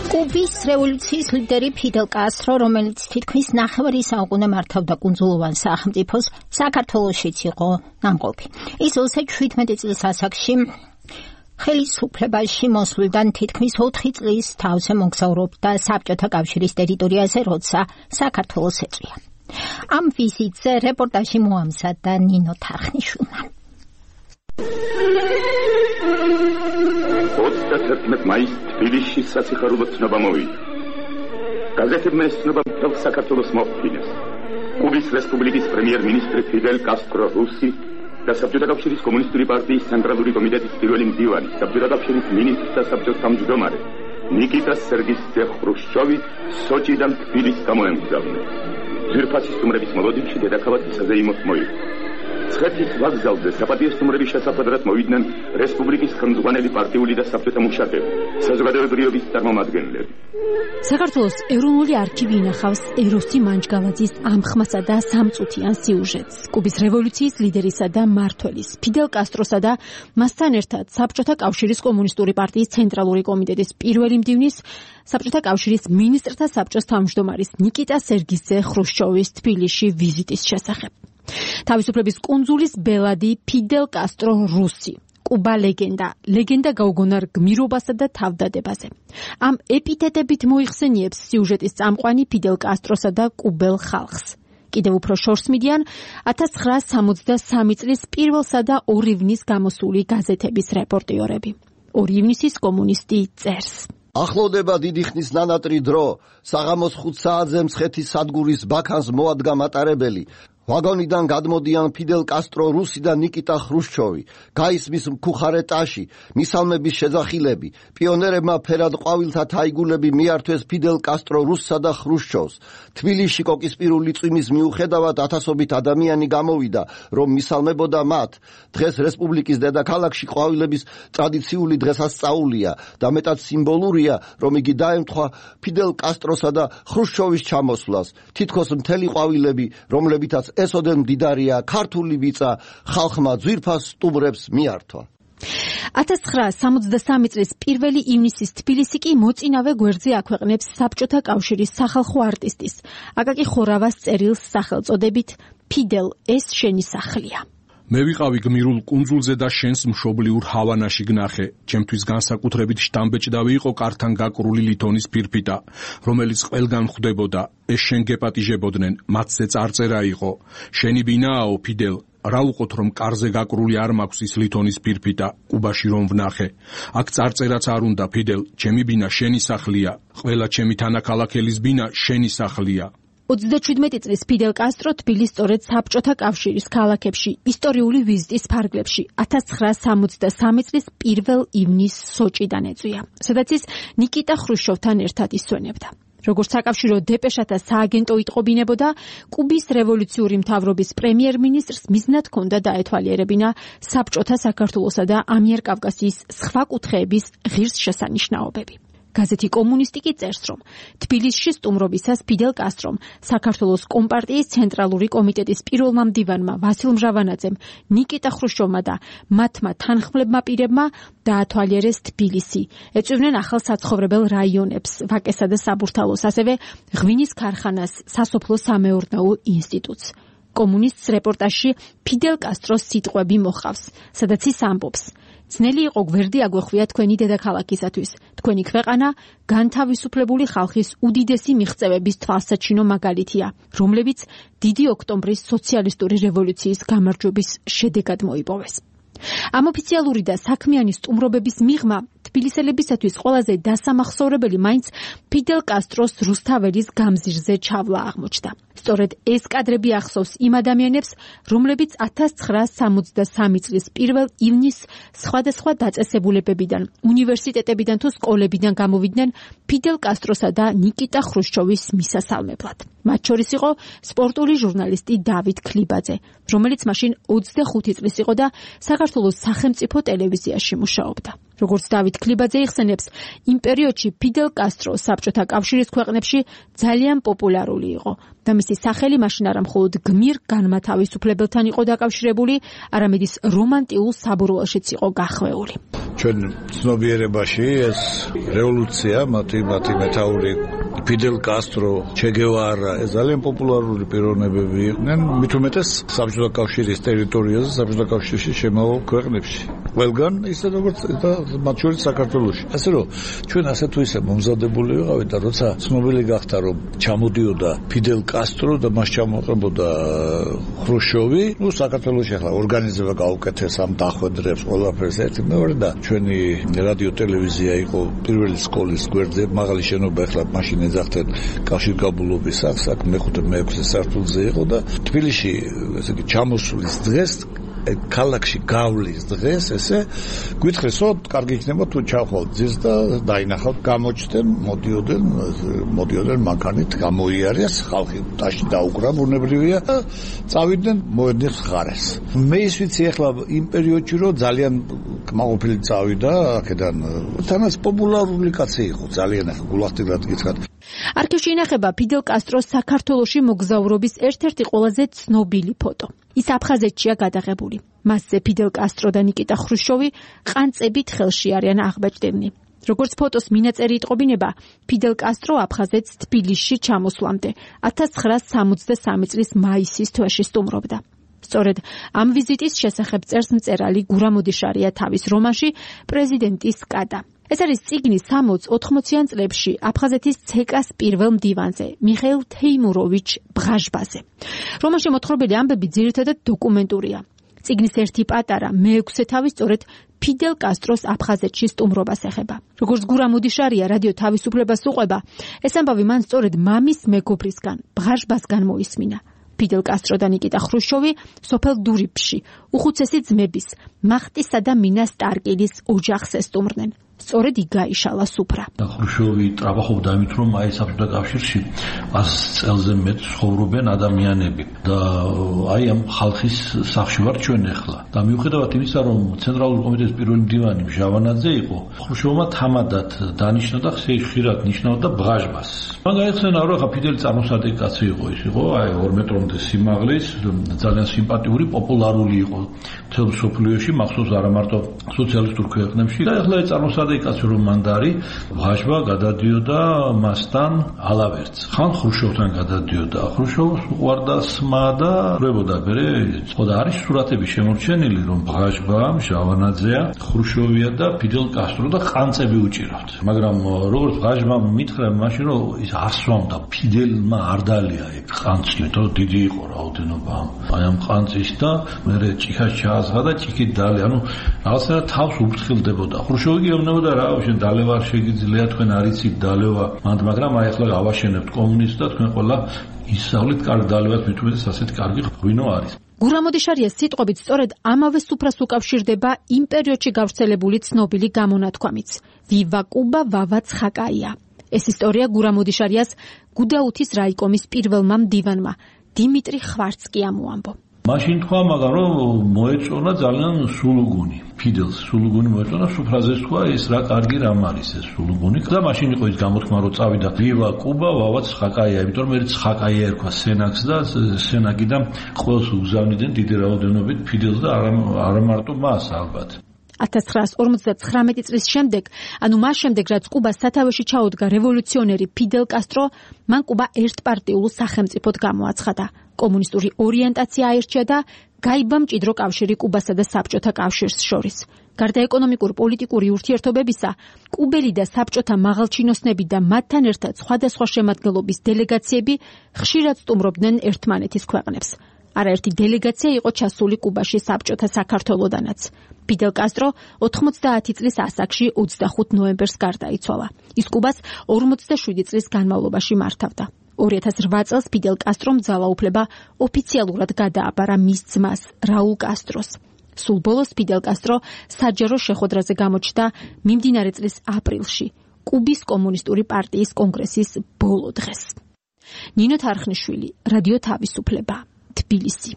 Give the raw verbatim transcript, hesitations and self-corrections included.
კუბის რევოლუციის ლიდერი ფიდელ კასტრო, რომელიც თითქმის ნახევარი საუკუნე მართავდა კუნძულოვან სახელმწიფოს, საქართველოშიც იყო ნამყოფი. ის ოცდაშვიდმეტი წლის ასაკში ხელისუფლებაში მოსვლიდან თითქმის ოთხი წლის თავზე მოგზაურობდა საბჭოთა კავშირის ტერიტორიაზე, როცა საქართველოს ეწვია. ამ ვიზიტზე რეპორტაჟი მოამზადა ნინო თარხნიშვილმა. ოცდათერთმეტ მაისს თბილისში სასიხარულო ცნობა მოვიდა. გაზეთებმა ეს ცნობა მთელ საქართველოს მოჰყინეს. კუბის რესპუბლიკის პრემიერ-მინისტრი ფიდელ კასტრო რუსი და საბჭოთა კავშირის კომუნისტური პარტიის ცენტრალური კომიტეტის პირველი მდივანი, საბჭოთა კავშირის მინისტრთა საბჭოს თავმჯდომარე ნიკიტა სერგეიევიჩ ხრუშჩოვი სოჭიდან თბილისს გამოემგზავრნენ. ძვირფასი სტუმრების მოლოდინში დედაქალაქ საზეიმოს მოიგო. ცხეთის ვокзалზე საპატიო სტუმრების შესახვედრად მოვიდნენ რესპუბლიკის ხელმძღვანელი პარტიული და საბჭოთა მუშაკები, საზოგადოებრივობის წარმომადგენლები. საქართველოს ეროვნული არქივი ინახავს ეროსი მანჯგალაძის ამხმასა და სამწუთიან სიუჟეტს. კუბის რევოლუციის ლიდერისა და მმართველის ფიდელ კასტროსა და მასთან ერთად საბჭოთა კავშირის კომუნისტური პარტიის ცენტრალური კომიტეტის პირველი მდივნის, საბჭოთა კავშირის მინისტრთა საბჭოს თავმჯდომარის ნიკიტა სერგეიევიჩ ხრუშჩოვის თბილისში ვიზიტის შესახებ. თავისუფლების კუნძულის ბელადი ფიდელ კასტრო რუსი. კუბა ლეგენდა, ლეგენდა გაუგონარ გმირობასა და თავდადებაზე. ამ ეპითეტებით მოიხსენიებს სიუჟეტის წამყვანი ფიდელ კასტროსა და კუბელ ხალხს. კიდევ უფრო შორს მიდიან ათას ცხრაასი სამოცდასამი წლის პირველსა და ორი ივნის გამოსული გაზეთების რეპორტიორები. ორი ივნისის კომუნისტი წერს. ახლოვდება დიდი ხნის ნანატრი დრო, საღამოს ხუთ საათზე მცხეთის სადგურის ბაქანს მოადგა მატარებელი. ვაგონიდან გადმოდიან ფიდელ კასტრო რუსი და ნიკიტა ხრუშჩოვი. გაისმის მქუხარე ტაში, მისალმების შეძახილები. პიონერებმა ფერად ყვავილთა თაიგულები მიართვეს ფიდელ კასტრო რუსსა და ხრუშჩოვს. თბილისში კოკისპირული წვიმის მიუხედავად ათასობით ადამიანი გამოვიდა, რომ მისალმებოდა მათ. დღეს რესპუბლიკის დედაქალაქში ყვავილების ტრადიციული დღესასწაულია და მეტად სიმბოლურია, რომ იგი დაემთხვა ფიდელ კასტროსა და ხრუშჩოვის ჩამოსვლას. თითქოს მთელი ყვავილები, რომლებითაც ესოდენ მდიდარია ქართული ვიწა, ხალხმა ძვირფას სტუმრებს მიართვა. ათას ცხრაასი სამოცდასამი წლის პირველი ივნისის თბილისი კი მოწინავე გვერდზე აქვეყნებს საბჭოთა კავშირის სახალხო არტისტის აკაკი ხორავას წერილს სახელწოდებით „ფიდელ, ეს შენი სახლია“. მე ვიყავი გმირულ კუნძულზე და შენს მშობლიურ ჰავანაში გნახე. ჩემთვის განსაკუთრებით შტამბეჭდავი იყო კართან გაკრული ლითონის ფირფიტა, რომელიც ყველგან ხვდებოდა. ეს შენ გეპატიჟებოდნენ, მათზე წარწერა იყო. შენი ბინააო ფიდელ, რა უყოთ რომ კარზე გაკრული არ მაქვს ის ლითონის ფირფიტა, კუბაში რომ ვნახე. აქ წარწერაც არ უნდა ფიდელ, ჩემი ბინა შენი სახლია. ყველა ჩემი თანაქალაქელის ბინა შენი სახლია. ოცდაშვიდმეტი წლის ფიდელ კასტრო თბილისს სწორედ საბჭოთა კავშირის ქალაქებში ისტორიული ვიზიტის ფარგლებში ათას ცხრაასი სამოცდასამი წლის პირველ ივნისს სოჭიდან ეწვია, სადაც ის ნიკიტა ხრუშჩოვთან ერთად ისვენებდა. როგორც საკავშირო დეპეშათა სააგენტო იტყობინებოდა, კუბის რევოლუციური მთავრობის პრემიერ-მინისტრს მიზნად ჰქონდა დაეთვალიერებინა საბჭოთა საქართველოსა და ამიერკავკასიის სხვა კუთხეების ღირსშესანიშნაობები. გაზეთი კომუნისტი კი წერს, რომ თბილისში სტუმრობისას ფიდელ კასტრომ საქართველოს კომპარტიის ცენტრალური კომიტეტის პირველმა მდივანმა ვასილ მჟავანაძემ, ნიკიტა ხრუშჩოვმა და მათმა თანხმლებმა პირებმა დაათვალიერეს თბილისი. ეწვივნენ ახალ საცხოვრებელ რაიონებს, ვაკესა და საბურთალოს, ასევე ღვინის ქარხანას, სასოფლო-სამეურნეო ინსტიტუტს. კომუნისტს რეპორტაჟში ფიდელ კასტროს სიტყვები მოჰყავს, სადაც ის ამბობს: ძნელი იყო გვერდი აგვეხვია თქვენი დედაქალაქისათვის. თქვენი ქვეყანა განთავისუფლებული ხალხის უდიდესი მიღწევების თვალსაჩინო მაგალითია, რომლებიც დიდი ოქტომბრის სოციალისტური რევოლუციის გამარჯვების შედეგად მოიპოვეს. ამ ოფიციალური და საქმიანი სტუმრობების მიღმა თბილისელებისათვის ყველაზე დასამახსოვრებელი მაინც ფიდელ კასტროს რუსთაველის გამზირზე ჩავლა აღმოჩნდა. სწორედ ეს კადრები ახსოვს იმ ადამიანებს, რომლებიც ათას ცხრაასი სამოცდასამი წლის პირველ ივნისს სხვადასხვა დაწესებულებებიდან, უნივერსიტეტებიდან თუ სკოლებიდან გამოვიდნენ ფიდელ კასტროსა და ნიკიტა ხრუშჩოვის მისასალმებლად. მათ შორის იყო სპორტული ჟურნალისტი დავით ქლიბაძე, რომელიც მაშინ ოცდახუთი წლის იყო და საქართველოს სახელმწიფო ტელევიზიაში მუშაობდა. როგორც დავით ქლიბაძე იხსენებს, იმ პერიოდში ფიდელ კასტრო საბჭოთა კავშირის ქვეყნებში ძალიან პოპულარული იყო და მისი სახელი მაშინ არა მხოლოდ გმირ განმათავისუფლებელთან იყო დაკავშირებული, არამედ ის რომანტიულ საბურველშიც იყო გახვეული. ჩვენ ცნობიერებაში ეს რევოლუცია, მათი მათი მეთაური ფიდელ კასტრო, ჩე გევარა, ეს ძალიან პოპულარული პიროვნებები იყვნენ, მით უმეტეს საბჭოთა კავშირის ტერიტორიაზე, საბჭოთა კავშირში შემავალ ქვეყნებში. ყველგან ისე როგორც და მათ შორის საქართველოში. ასე რომ ჩვენ ასე თუ ისე მომზადებული ვიყავით და როცა ცნობილი გახდა რომ ჩამოდიოდა ფიდელ კასტრო და მას ჩამოყრებოდა ხრუშჩოვი, ნუ საქართველოში ახლა ორგანიზება გაუკეთეს ამ დახვედრებს ყველაფერს ერთი მეორე და ჩვენი რადიო ტელევიზია იყო პირველი სკოლის გვერდზე, მაღალი შენობა ახლა მაშინ ეძახდნენ კავშირგაბმულობის სახლს, აქ მეხუთე მეექვსე სართულზე იყო და თბილისში ესე იგი ჩამოსulis დღეს ქალაქში გავლის დღეს ესე გვითხრეს რომ კარგი იქნება თუ ჩავხვალთ ძირს და დაინახავთ გამოჩნდნენ მოდიოდნენ მოდიოდნენ მანქანით გამოიარეს ხალხი ტაში დაუკრა ბუნებრივია და წავიდნენ მოედნის მხარეს მე ის ვიცი ახლა იმ პერიოდში რომ ძალიან კმაყოფილი წავიდა აქედან თანაც პოპულარული კაცი იყო ძალიან ახლა გულახდილად გითხრათ არქივში ინახება ფიდელ კასტროს საქართველოში მოგზაურობის ერთ-ერთი ყველაზე ცნობილი ფოტო. ის აფხაზეთშია გადაღებული. მასზე ფიდელ კასტრო და ნიკიტა ხრუშჩოვი ყანწებით ხელში არიან აღბეჭდებნი. როგორც ფოტოს მინაწერი იტყობინება, ფიდელ კასტრო აფხაზეთს თბილისში ჩამოსვლამდე ათას ცხრაას სამოცდასამი წლის მაისის თვეში სტუმრობდა. სწორედ ამ ვიზიტის შესახებ წერს მწერალი გურამ ოდიშარია თავის რომანში პრეზიდენტის კადა. ეს არის წიგნი სამოც-ოთხმოციან წლებში აფხაზეთის ცეკას პირველ მდივანზე, მიხეილ თეიმუროვიჩ ბრაჟბაზე. რომანში მოთხრობილი ამბები ძირითადად დოკუმენტურია. წიგნის ერთი პატარა მეექვსე თავი სწორედ ფიდელ კასტროს აფხაზეთში სტუმრობას ეხება. როგორც გურამ ოდიშარია რადიო თავისუფლებას უყვება, ეს ამბავი მან სწორედ მამის მეგობრისგან, ბრაჟბასგან მოისმინა. ფიდელ კასტრო და ნიკიტა ხრუშჩოვი სოფელ დურიფში, უხუცესი ძმების, მახტისა და მინა სტარკილის ოჯახს ესტუმრნენ. სწორედ იქ გაიშალა სუფრა. ხრუშჩოვი ტრაბახობდა იმით, რომ აი საბჭოთა კავშირში ას წელზე მეტ ცხოვრობენ ადამიანები და აი ამ ხალხის სახში ვარ ჩვენ ახლა. და მიუხედავად იმისა, რომ ცენტრალური კომიტეტის პირველი მდივანი ჟავანაძე იყო, ხრუშჩოვმა თამადად დანიშნა და ხშირად ნიშნავდა ბრაჟბას. მან გაიხსენა, რომ ახლა ფიდელი წარმოსადი კაცი იყო, ის იყო აი ორ მეტრომდე სიმაღლის, ძალიან სიმპათიური, პოპულარული იყო მთელ მსოფლიოში, მახსოვს არა მარტო სოციალისტურ ქვეყნებში და ახლა ეს წარმოსადი კაცი რომ მანდარი ბრაჟბა გადადიოდა მასთან ალავერტს. ხან ხრუშჩოვთან გადადიოდა. ხრუშჩოვს უყვარდა სმა და ვრებოდა მერე. ხოდა არის სურათები შემორჩენილი, რომ ბრაჟბა, ჟავანაძეა, ხრუშჩოვია და ფიდელ კასტრო და ყანწები უჭირავთ. მაგრამ როგორც ბრაჟბამ მითხრა მაშინ რომ ის არ სვამდა, ფიდელმა არ დალია ეგ ყანწი, იმიტომ რომ დიდი იყო რაოდენობა აი ამ ყანწის და მერე ჭიქას ჩააზღა და ჭიქით დალე. ანუ რაღაცა თავს უფრთხილდებოდა. ხრუშჩოვი კი ემნებოდა და რა შენ დალევა შეგიძლია თქვენ არიცით დალევა მანდ მაგრამ აი ახლა ავაშენებთ კომუნისტს და თქვენ ყველა ისწავლით კარგ დალევას მით უმეტეს ასეთ კარგი ღვინო არის. გურამ ოდიშარიას სიტყვებით სწორედ ამავე სუფრას უკავშირდება იმ პერიოდში გავრცელებული ცნობილი გამონათქვამიც ვივა კუბა ვავა ცხაკაია. ეს ისტორია გურამ ოდიშარიას გუდაუთის რაიკომის პირველმა მდივანმა დიმიტრი ხვარცკი ამოამბო. მაშინ თქვა, მაგრამ რომ მოეწონა ძალიან სულუგუნი. ფიდელს სულუგუნი მოეწონა, სუფრაზე თქვა, ეს რა კარგი რამ არის ეს სულუგუნი. და მაშინ იყო ის გამოთქმა, რომ წავიდა ვივა კუბა, ვავა ცხაკაია, იმიტომ რომ მე ცხაკაია ერქვა სენაკს და სენაკიდან ყველს უგზავნიდნენ დიდი რაოდენობით ფიდელს და არა მარტო მას ალბათ. ათას ცხრაას ორმოცდათხრამეტი წლის შემდეგ, ანუ მას შემდეგ, რაც კუბას სათავეში ჩაუდგა რევოლუციონერი ფიდელ კასტრო, მან კუბა ერთპარტიულ სახელმწიფოდ გამოაცხადა. კომუნისტური ორიენტაცია აირჩია და გაიბა მჭიდრო კავშირი კუბასა და საბჭოთა კავშირს შორის. გარდა ეკონომიკურ-პოლიტიკური ურთიერთობებისა, კუბელი და საბჭოთა მაღალჩინოსნები და მათთან ერთად სხვადასხვა შემადგენლობის დელეგაციები ხშირად სტუმრობდნენ ერთმანეთის ქვეყნებს. არაერთი დელეგაცია იყო ჩასული კუბაში საბჭოთა საქართველოდანაც. ფიდელ კასტრო ოთხმოცდაათი წლის ასაკში ოცდახუთ ნოემბერს გარდაიცვალა. ის კუბას ორმოცდაშვიდი წლის განმავლობაში მართავდა. ორი ათას რვა წელს ფიდელ კასტრომ ძალაუფლება ოფიციალურად გადააბარა მის ძმას რაულ კასტროს. სულ ბოლოს ფიდელ კასტრო საჯარო შეხვედრაზე გამოჩნდა მიმდინარე წლის აპრილში კუბის კომუნისტური პარტიის კონგრესის ბოლო დღეს. ნინო თარხნიშვილი, რადიო თავისუფლება, თბილისი.